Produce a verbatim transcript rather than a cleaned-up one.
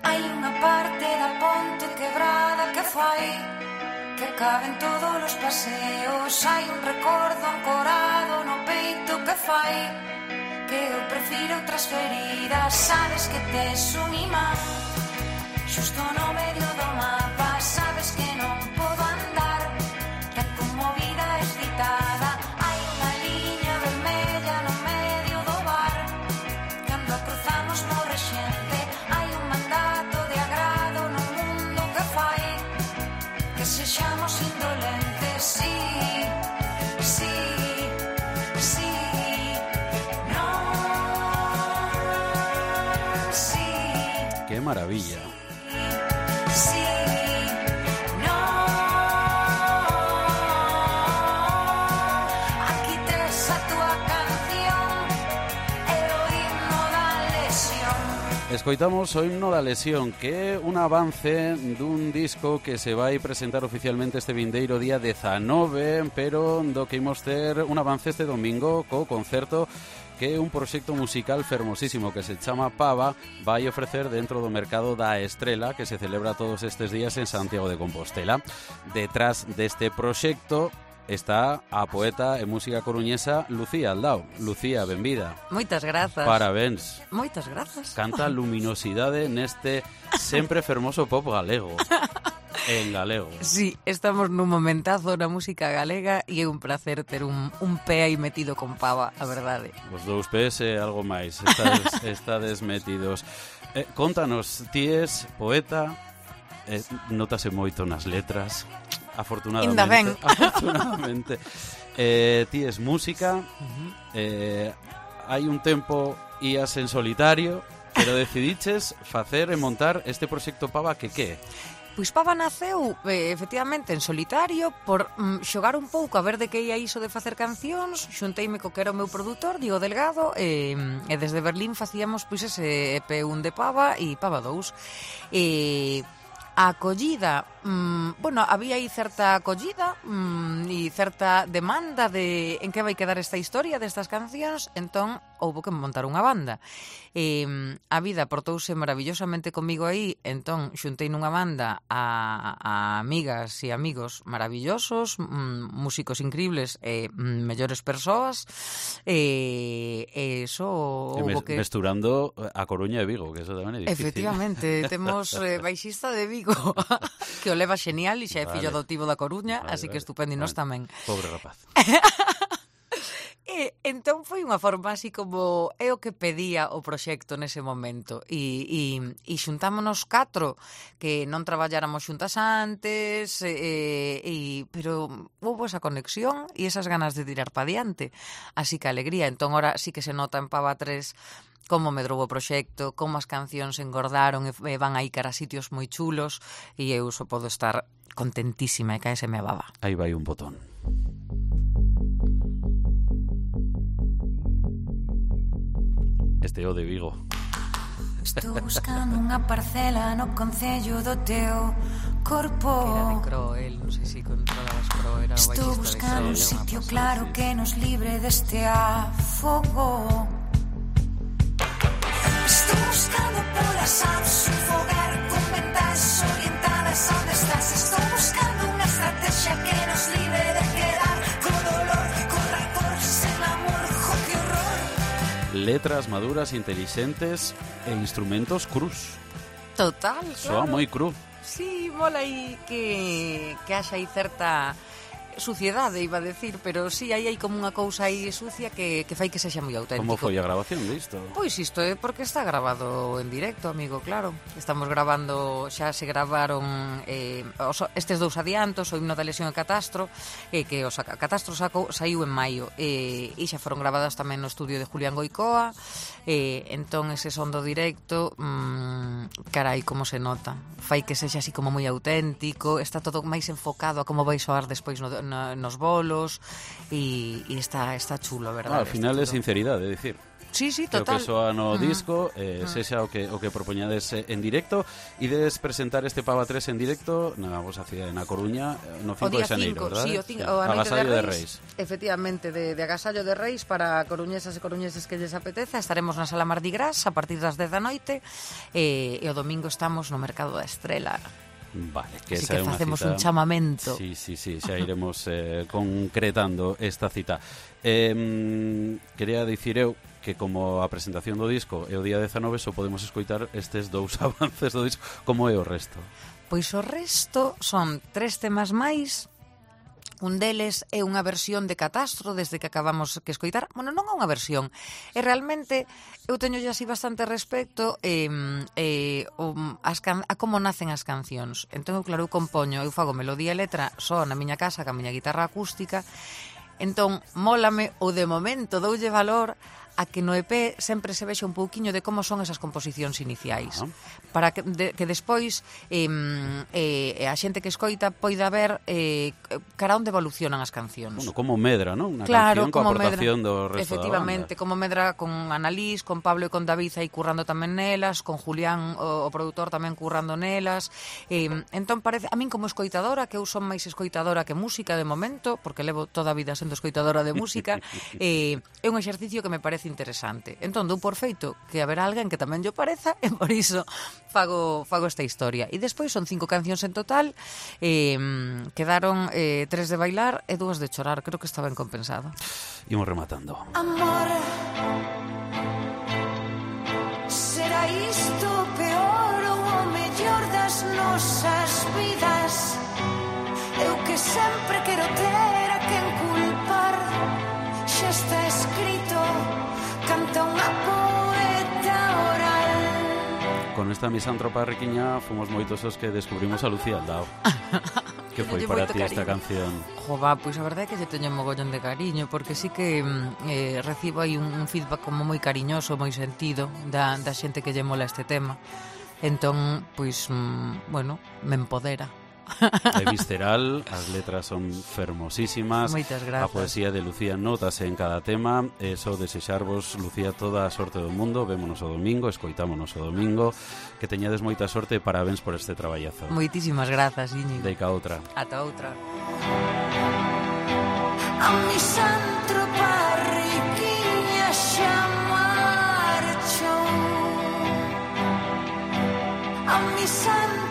Hai unha parte da ponte quebrada que fai que caben todos os paseos. Hai un recordo ancorado no peito que fai que eu prefiro transferidas. Sabes que tes un imán xusto no medio do mapa. Sabes que non podo andar tan conmovida, excitada. Hai unha liña vermella no medio do bar. Cando a cruzamos morre xente. Hai un mandato de agrado no mundo que fai que sexamos indolentes. Sí, sí, sí. ¡Qué maravilla! Sí, no. Aquí tes a túa canción, é o himno da lesión. Escoitamos o himno da lesión, que é un avance dun disco que se vai presentar oficialmente este vindeiro día dezanove, pero do que imos ter un avance este domingo co concerto que é un proxecto musical fermosísimo que se chama Pava, vai ofrecer dentro do Mercado da Estrela, que se celebra todos estes días en Santiago de Compostela. Detrás deste proxecto está a poeta e música coruñesa Lucía Aldao. Lucía, benvida. Moitas grazas. Parabéns. Moitas grazas. Canta luminosidade neste sempre fermoso pop galego. En galego. Sí, estamos nun momentazo na música galega e é un placer ter un, un pé aí metido con Pava, a verdade. Os dous pés e algo máis, estades, estades metidos. Eh, contanos, ti és poeta, eh, notase moito nas letras, afortunadamente. Inda ben. Afortunadamente. Eh, ti és música, eh, hai un tempo ías en solitario, pero decidiches facer e montar este proxecto Pava que que? Pois Pava naceu, eh, efectivamente, en solitario por mm, xogar un pouco a ver de que ia iso de facer cancións. Xunteime co que era o meu produtor, Diego Delgado, e, e desde Berlín facíamos pois ese E P un de Pava e Pava dous. E a acollida, mmm, bueno, había aí certa acollida mmm, e certa demanda de en que vai quedar esta historia destas cancións, entón houbo que montar unha banda. E, a vida portouse maravillosamente comigo aí, entón xuntei nunha banda a, a amigas e amigos maravillosos, mmm, músicos increíbles e mmm, mellores persoas, e, e eso houbo que... Mesturando a Coruña e Vigo, que eso tamén é difícil. Efectivamente, temos eh, baixista de Vigo que o leva xenial e xa é fillo vale. adotivo da Coruña, Vale, así que vale. estupendo e nós tamén. Pobre rapaz. E entón foi unha forma así como é o que pedía o proxecto nese momento e, e, e xuntámonos catro que non traballáramos xuntas antes e, e, pero houve esa conexión e esas ganas de tirar pa diante, así que alegría. Entón ora sí que se nota en Pava tres como medrou o proxecto, como as cancións engordaron e van aí cara a sitios moi chulos e eu só podo estar contentísima e caéseme a baba. Aí vai un botón. Este é o de Vigo. Estou buscando unha parcela no concello do teu corpo. Era de Cro, el, non sei se controlabas Cro, era o Estou baixista buscando de un Cro. sitio claro que nos libre deste afogo. Estou buscando polas apps un fogar con ventas orientadas a onde estás. Estou buscando unha estrategia que nos libre de quedar con dolor, con rancor, sen amor, jo, que horror. Letras maduras, intelixentes e instrumentos cruz. Total, Soa claro. moi cru. Sí, mola aí que, que haxa aí certa suciedade, iba a decir, pero sí, aí hai como unha cousa aí sucia que, que fai que sexa moi auténtico. Como foi a grabación disto? Pois isto é porque está grabado en directo, amigo, claro. Estamos grabando, xa se gravaron eh, os, estes dous adiantos, o himno da lesión e Catastro, eh, que o saca, Catastro saco, saiu en maio, eh, e xa foron gravadas tamén no estudio de Julián Goicoa, eh, entón ese son do directo, mmm, carai, como se nota. Fai que sexa así como moi auténtico, está todo máis enfocado a como vai soar despois no, no, nos bolos, e, e está, está chulo, a verdade. Ah, al final é sinceridade, é dicir. Sí, sí, que total. o que soa no Mm. disco, eh, Mm. sexa o que o que propoñades eh, en directo, ides presentar este Pava tres en directo na vosa cidade, na Coruña, eh, no O cinco de día xaneiro, cinco, verdade? sí, o, cinco, o a noite Agasallo de de Reis, Reis. efectivamente, de, de agasallo de Reis para coruñesas e coruñeses que lles apeteza. Estaremos na Sala Mardi Gras a partir das dez da noite e, e o domingo estamos no Mercado da Estrela. Vale, que Así esa que é unha facemos cita... un chamamento. Sí, sí, sí, xa iremos eh, concretando esta cita. Eh, quería dicir eu que como a presentación do disco é o día dezanove, só podemos escoitar estes dous avances do disco. Como é o resto? Pois o resto son tres temas máis. Un deles é unha versión de Catastro desde que acabamos que escoitar. Bueno, non é unha versión. E realmente eu teño ya así bastante respecto eh, eh, um, as can a como nacen as cancións. Entón, eu, claro, eu compoño, eu fago melodía e letra só na miña casa, ca miña guitarra acústica. Entón, mólame ou de momento doulle valor a que no E P sempre se vexe un pouquiño de como son esas composicións iniciais, Ah. para que, de, que despois eh, eh, a xente que escoita poida ver eh, cara onde evolucionan as cancións. Bueno, como medra, non? Unha Claro, canción coa como aportación medra, do resto efectivamente, da banda. como medra con Annalís, con Pablo e con David aí currando tamén nelas, con Julián, o, o produtor, tamén currando nelas. Eh, entón parece, a min como escoitadora, que eu son máis escoitadora que música de momento, porque levo toda a vida sendo escoitadora de música, eh, é un exercicio que me parece interesante. Entón, dou por feito que haberá alguén que tamén yo pareza, e por iso fago, fago esta historia. E despois son cinco cancións en total, eh, quedaron eh, tres de bailar e dúas de chorar. Creo que está ben compensado. Imos rematando. Amor, será isto o peor ou o mellor das nosas vidas? Eu que sempre quero ter a quen culpar, xa está escrito, canta unha poeta oral. Con esta misántropa riquiña fomos moitos os que descubrimos a Lucía Aldao. Que foi Lle para moito ti esta cariño. canción? Jova, pois a verdade é que lle teño mogollón de cariño, porque sí que mm, eh, recibo aí un, un feedback como moi cariñoso, moi sentido da, da xente que lle mola este tema. Entón, pois, mm, bueno, me empodera. É visceral, as letras son fermosísimas. Moitas A grazas. poesía de Lucía notase en cada tema. E só desexarvos, Lucía, toda a sorte do mundo. Vémonos o domingo, escoitámonos o domingo. Que teñades moita sorte e parabéns por este traballazo. Moitísimas grazas, Íñigo. Deica outra. Ata outra. A misántropa riquiña xa marchou. A misántropa